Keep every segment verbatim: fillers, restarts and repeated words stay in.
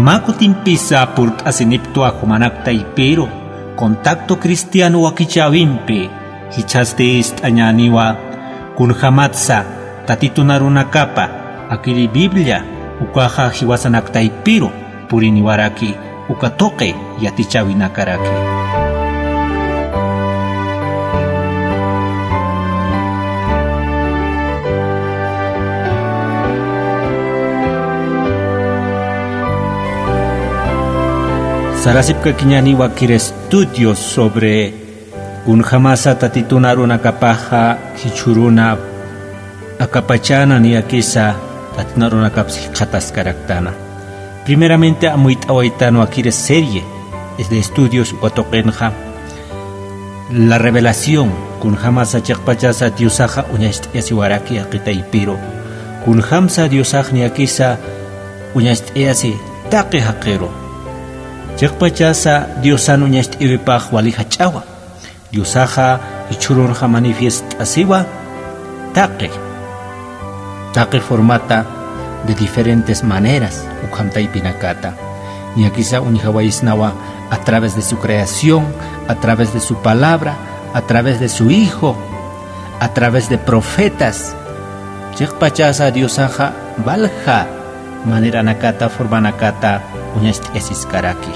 Mä kutimpisa purt'asiniptwa jumanak taypiru, contacto cristiano wakichäwimpi, jichhasti ist'añäniwa, kunjamatsa Tatitun arunakapa, akiri Biblia, ukaxa jiwasanak taypiru, puriniwaraki, uka tuqi yatichäwinakaraki. Sarasipkakiñäniwa akir estudios sobre kunjamasa Tatitun arunakapaxa jichhüruna akapachäna niyakisa Tatitun arunakapsa jikxataskaraktana. Primeramente amuyt'awaytanwa akir serie de estudios uka tuqinxa, la revelación, kunjamasa chiqpachasa Diosaxa uñacht'ayasiwaraki jaqi taypiru, kunjamsa Diosax niyakisa uñacht'ayasi taqi jaqiru. Chiqpachasa Diosan uñacht'ayawipax wali jach'awa. Diosaxa jichhürunxa manifiest'asiwa taqi, taqi formata de diferentes maneras, ukham taypinakata. Niyakisa uñjawayisnawa a través de su creación, a través de su palabra, a través de su Hijo, a través de profetas. Chiqpachasa Diosaxa walja maneranakata, formanakata uñacht'ayasiskaraki.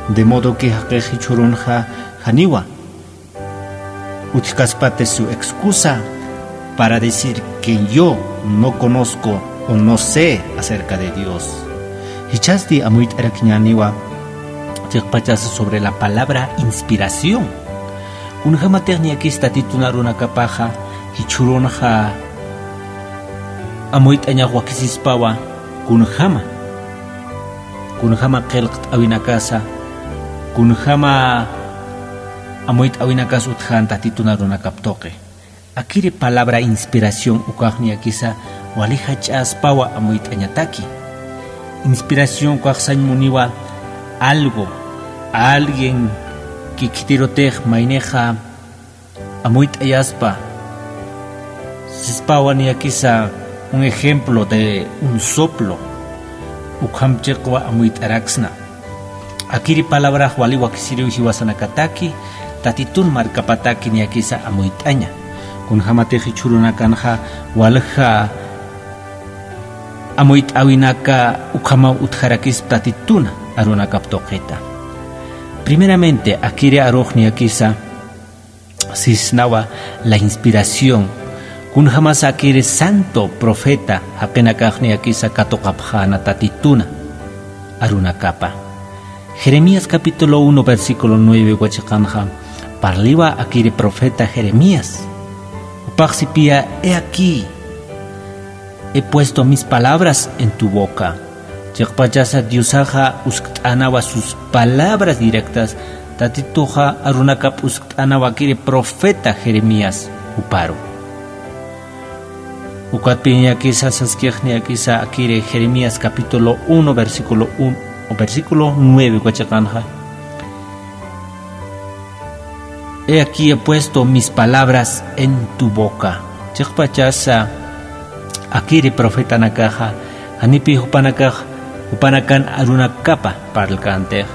De modo que jaqix jichhürunxa janiwa utjkaspati su excusa para decir que yo no conozco o no sé acerca de Dios. Jichhasti amuyt'arakiñäniwa chiqpachasa sobre la palabra inspiración. Kunjamatix niyakis Tatitun arunakapaxa jichhürunxa amuyt'añax wakisispawa kunjama, kunjama qillqt'äwinakasa, kunjama amuyt'äwinakas utjän Tatitun arunakap tuqi. Akiri palabra inspiración ukax niyakisa wali jach'aspawa amuyt'añataki. Inspiración ukax sañ muniwa algo, alguien que khitirutix maynixa amuyt'ayaspa, sispawa niyakisa un ejemplo de un soplo, ukham chiqwa amuyt'araksna. Akiri palabrax wali wakisiriw jiwasanakataki, Tatitun markapataki niyakisa amuyt'aña. Kunjamatix jichhürunakanxa walja amuyt'äwinaka ukhamaw utjarakispa Tatituna arunakap tuqita. Primeramente, akiri arux niyakisa sisnawa la inspiración. Kunjamasa akiri santo profeta jaqinakax niyakisa katuqapxäna Tatituna arunakapa. Jeremías capítulo uno, versículo nueve uka chiqanxa, parliwa akiri profeta Jeremías. Jupax sipiya, "He aquí, he puesto mis palabras en tu boca." Chiqpachasa Diosaxa uskt'änawa sus palabras directas, Tatituxa arunakap uskt'änawa akiri profeta Jeremías juparu. Ukatpï niyakisa saskix niyakisa akiri Jeremías capítulo uno, versículo uno, versículo nueve uka chiqanxa. "He aquí he puesto mis palabras en tu boca." Chiqpachasa akiri profetanakaxa, janipï jupanakax, jupanakan arunakapa parlkäntix.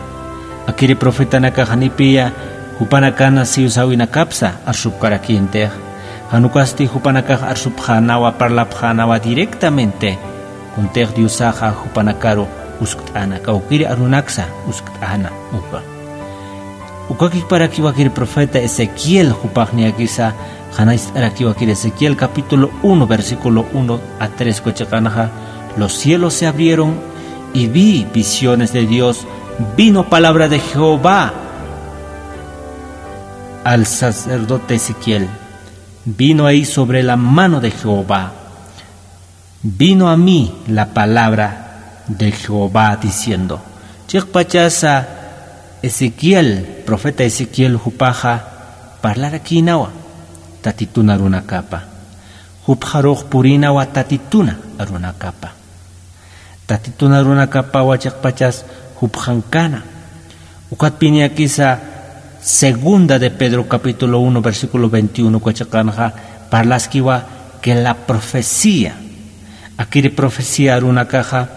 Akiri profetanakax janipïya jupanakan siwsäwinakapsa arsupkarakïntix. Jan ukasti jupanakax arsupxänawa, parlapxänawa directamente. Kuntix Diosaxa jupanakaru uskt'äna, kawkïri arunaksa uskt'äna uka. Ukakiparakiwakir profeta Ezequiel, jupax niyakisa, qhanañcht'arakiwakir Ezequiel capítulo uno, versículo uno a tres uka chiqanxa, "Los cielos se abrieron y vi visiones de Dios, vino palabra de Jehová al sacerdote Ezequiel. Vino ahí sobre la mano de Jehová. Vino a mí la palabra de Jehová diciendo." Chiqpachasa Ezequiel, profeta Ezequiel jupaxa parlarakïnawa Tatitun arunakapa. Jupxarux purïnawa Tatituna arunakapa. Tatitun arunakapawa chiqpachas jupxankana. Ukatpï niyakisa segunda de Pedro capítulo uno, versículo veintiuno uka chiqanxa parlaskiwa que la profecía. Akiri profecía arunakaxa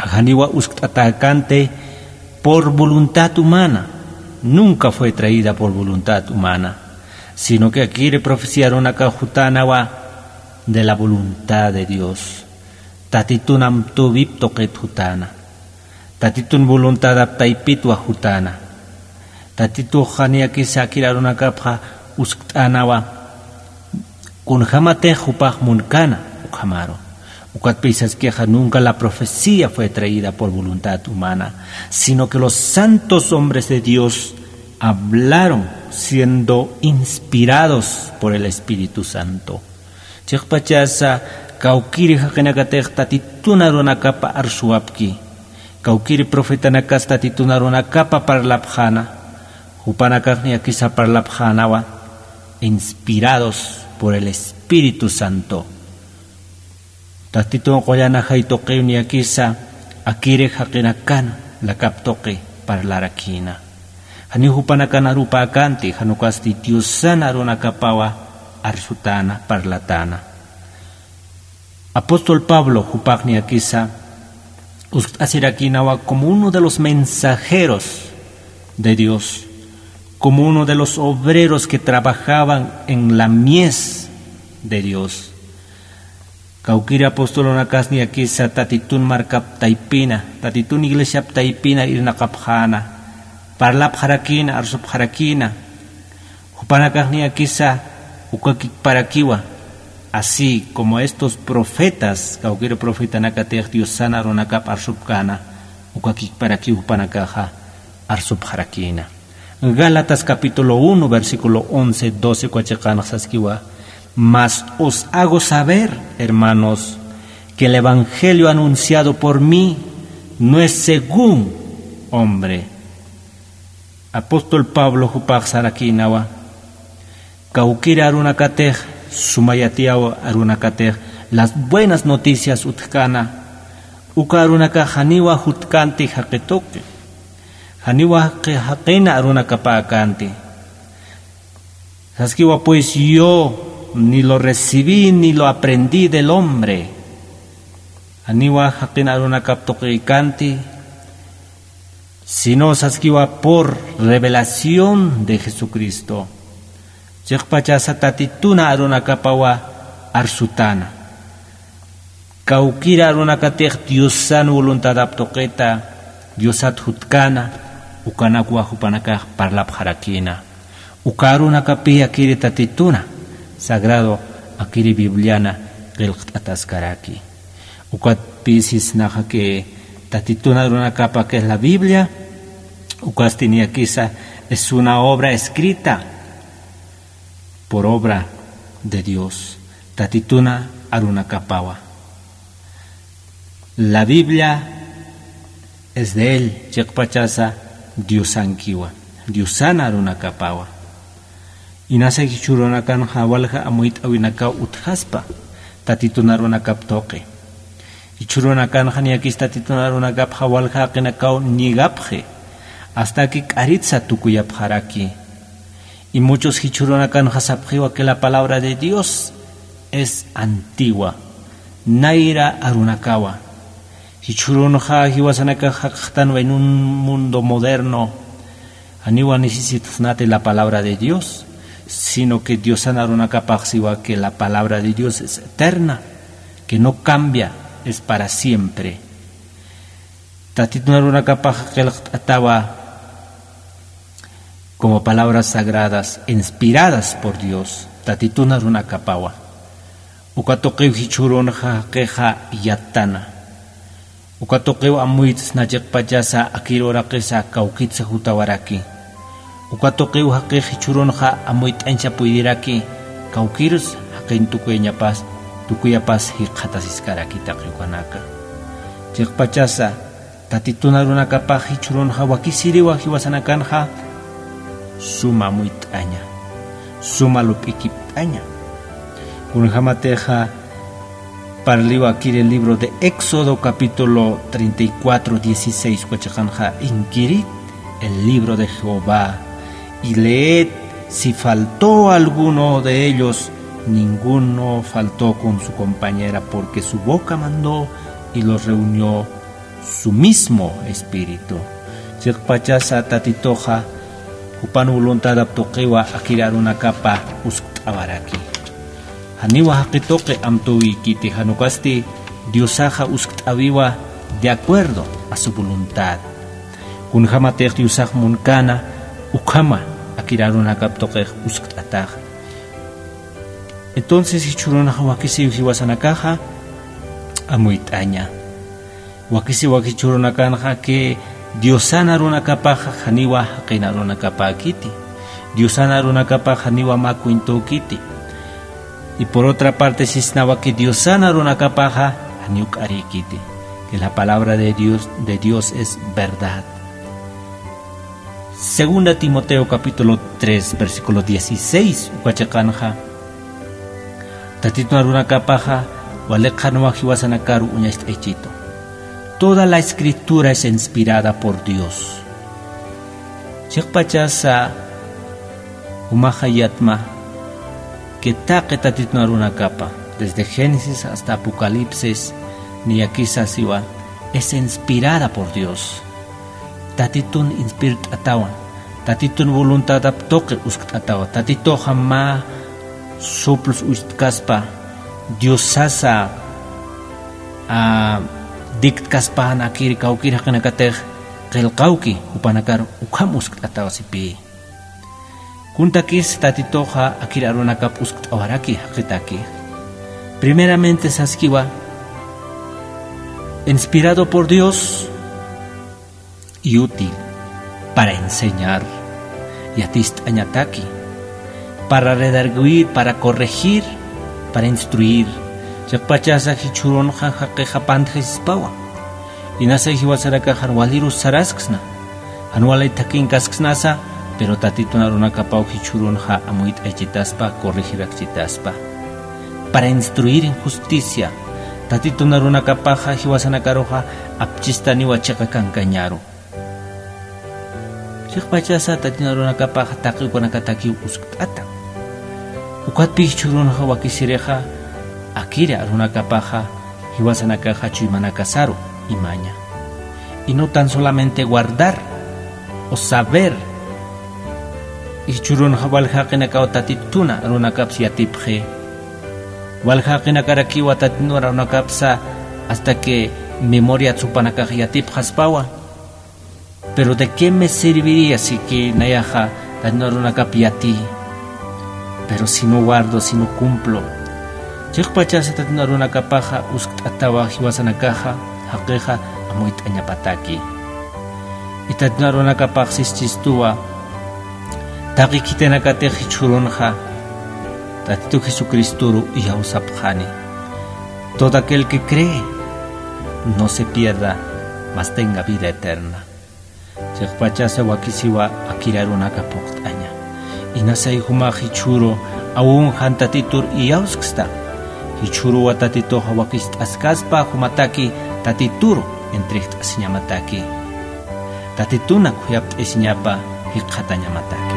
Janiwa uskt'atäkanti por voluntad humana, nunca fue traída por voluntad humana, sino que akiri profecía arunakax jutänawa de la voluntad de Dios. Tatitun amtüwip tuqit jutäna. Tatitun voluntadap taypitwa jutäna. Tatitux niyakisa akir arunakapxa uskt'änawa kunjämatix jupax munkana ukhamaru. Ukatpï saskixa nunca la profecía fue traída por voluntad humana, sino que los santos hombres de Dios hablaron siendo inspirados por el Espíritu Santo. Chiqpachasa kawkiri jaqinakatix Tatitun arunakapa arsuwapki. Kawkiri profetanakas Tatitun arunakapa parlapxäna. Jupanakax niyakisa parlapxänawa inspirados por el Espíritu Santo. Tatitun qullan ajay tuqiw niyakisa akiri jaqinakan lakap tuqi parlarakïna. Janiw jupanakan arupäkänti, jan ukasti Diosan arunakapawa arsutäna, parlatäna. Apóstol Pablo jupax niyakisa uskt'asirakïnawa como uno de los mensajeros de Dios, como uno de los obreros que trabajaban en la mies de Dios. Kawkiri apostolunakas niyakisa Tatitun markap taypina, Tatitun iglesiap taypina irnaqapxäna, parlapxarakïna, arsupxarakïna. Jupanakax niyakisa ukakikparakiwa, así como estos profetas, kawkiri profetanakatix Diosan arunakap arsupkäna, ukakikparakiw jupanakaxa arsupxarakïna. Gálatas capítulo uno, versículo once, doce uka chiqanx saskiwa: Mas os hago saber, hermanos, que el evangelio anunciado por mí no es según hombre. Apóstol Pablo jupax sarakïnawa, kawkiri arunakatix, suma yatiyaw arunakatix las buenas noticias utjkäna, uka arunakax janiwa jutkänti jaqi tuqi, janiwa jaqi, jaqina arunakapäkänti. Saskiwa pues: Yo ni lo recibí ni lo aprendí del hombre. Janiwa jaqin arunakap tuqïkänti, sino saskiwa por revelación de Jesucristo. Chiqpachasa Tatitun arunakapawa arsutäna. Kawkiri arunakatix Diosan voluntadap tuqita, Diosat jutkäna, ukanakwa jupanakax parlapxarakïna. Uka arunakapï akiri Tatituna, sagrado akiri Bibliana qillqt'ataskaraki. Ukatpï sisnaxa que Tatitun arunakapa, que es la Biblia, ukasti niyakisa es una obra escrita por obra de Dios. Tatitun arunakapawa. La Biblia es de él, chiqpachasa Diosankiwa, Diosan arunakapawa. Inasa jichhürunakanxa walja amuyt'äwinakaw utjaspa Tatitun arunakap tuqi. Jichhürunakanxa niyakis Tatitun arunakapxa walja jaqinakaw ñigapxi, hasta que k'aritsa tukuyapxaraki. Y muchos jichhürunakanxa sapxiwa que la palabra de Dios es antigua, nayra arunakawa. Jichhürunxa jiwasanakax jaqxtanwa en un mundo moderno, janiwa necesitaxsnati la palabra de Dios, sino que Diosan arunakapax siwa que la palabra de Dios es eterna, que no cambia, es para siempre. Tatitun arunakapax qillqt'atawa como palabras sagradas inspiradas por Dios, Tatitun arunakapawa. Uka tuqiw jichhürunxa jaqixa yattana. Uka tuqiw amuytsna chiqpachasa akir uraqisa kawkitsa jutawaraki. Uka tuqiw jaqix jichhürunxa amuyt'añsa puydiraki, kawkirus jaqin tukuyañapas, tukuyapas jikxatasiskaraki taqi ukanaka. Chiqpachasa Tatitun arunakapax jichhürunxa wakisiriwa jiwasanakanxa suma amuyt'aña, suma lup'ikipt'aña. Kunjämatixa parliwa akiri el libro de Éxodo, capítulo treinta y cuatro, dieciséis, uka chiqanxa: Inquirid el libro de Jehová y leed si faltó alguno de ellos. Ninguno faltó con su compañera, porque su boca mandó y los reunió su mismo espíritu. Chiqpachasa Tatituxa jupan voluntadap tuqiwa akir arunakapa uskt'awaraki. Janiwa jaqi tuqi amtüwikiti, jan ukasti Diosaxa uskt'awiwa de acuerdo a su voluntad. Kunjämatix Diosax munkana ukhama akir arunakap tuqix uskt'ataxa. Entonces jichhürunxa wakisiw jiwasanakaxa amuyt'aña. Wakisiwa jichhürunakanxa que Diosan arunakapaxa janiwa jaqin arunakapäkiti. Diosan arunakapaxa janiwa mä cuentokiti. Y por otra parte sisnawa que Diosan arunakapaxa janiw k'arïkiti. Que la palabra de Dios, de Dios es verdad. Segunda Timoteo capítulo tres, versículo dieciséis, uka chiqanxa Tatitun arunakapaxa wali qhanwa jiwasanakaru uñacht'aychitu. Toda la escritura es inspirada por Dios. Chiqpachasa jumaxa yatma que taqi Tatitun arunakapa, desde Génesis hasta Apocalipsis, niyakisa siwa, es inspirada por Dios. Tatitun inspirt'atawan, Tatitun voluntadap tuqi uskt'atawa, Tatituxa mä soplos ustkaspa, Diosasa, a, dictkaspa, jan akir kawkir jaqinakatix qillqawki, jupanakar ukham uskt'atawa sipï. Kuntakis Tatituxa akir arunakap uskt'awaraki jaqitaki. Primeramente saskiwa, inspirado por Dios y útil para enseñar, yatist'añataki, para redargüir, para corregir, para instruir. Chiqpachasa jichhürunxa jaqixa pantjasispawa. Inasa jiwasanakax jan waliru sarasksna, jan wali thakinkasknasa, pero Tatitun arunakapaw jichhürunxa amuyt'aychitaspa, corregirakchitaspa. Para instruir en justicia, Tatitun arunakapaxa jiwasanakaruxa apchistaniwa chiqa kankañaru. Chiqpachasa Tatitun arunakapaxa taqi ukanakatakiw uskt'ata. Ukatpï jichhürunxa wakisirixa akir arunakapaxa jiwasanakaxa chuymanakasaru imaña. Y no tan solamente guardar o saber, jichhürunxa walja jaqinakaw Tatitun arunakaps yatipxi. Walja jaqinakarakiwa Tatitun arunakapsa hasta que memoria jupanakax yatipxaspawa. Pero ¿de qué me serviría si que nayaxa Tatitun arunakap yatï, pero si no guardo, si no cumplo? Chiqpachasa Tatitun arunakapaxa uskt'atawa jiwasanakaxa, jaqixa amuyt'añapataki. Y Tatitun arunakapax sischistuwa, taqi khitinakatix jichhürunxa Tatitu Jesucristoru iyawsapxani. Todo aquel que cree no se pierda, mas tenga vida eterna. Chiqpachasa wakisiwa akir arunaka phuqt'aña. Inasay jumax jichhüru aun jan Tatitur iyawsksta. Jichhüruwa Tatituxa wakist'askaspa jumataki Tatituru entregt'asiñamataki. Tatitunak khuyapt'asiñapa jikxatañamataki.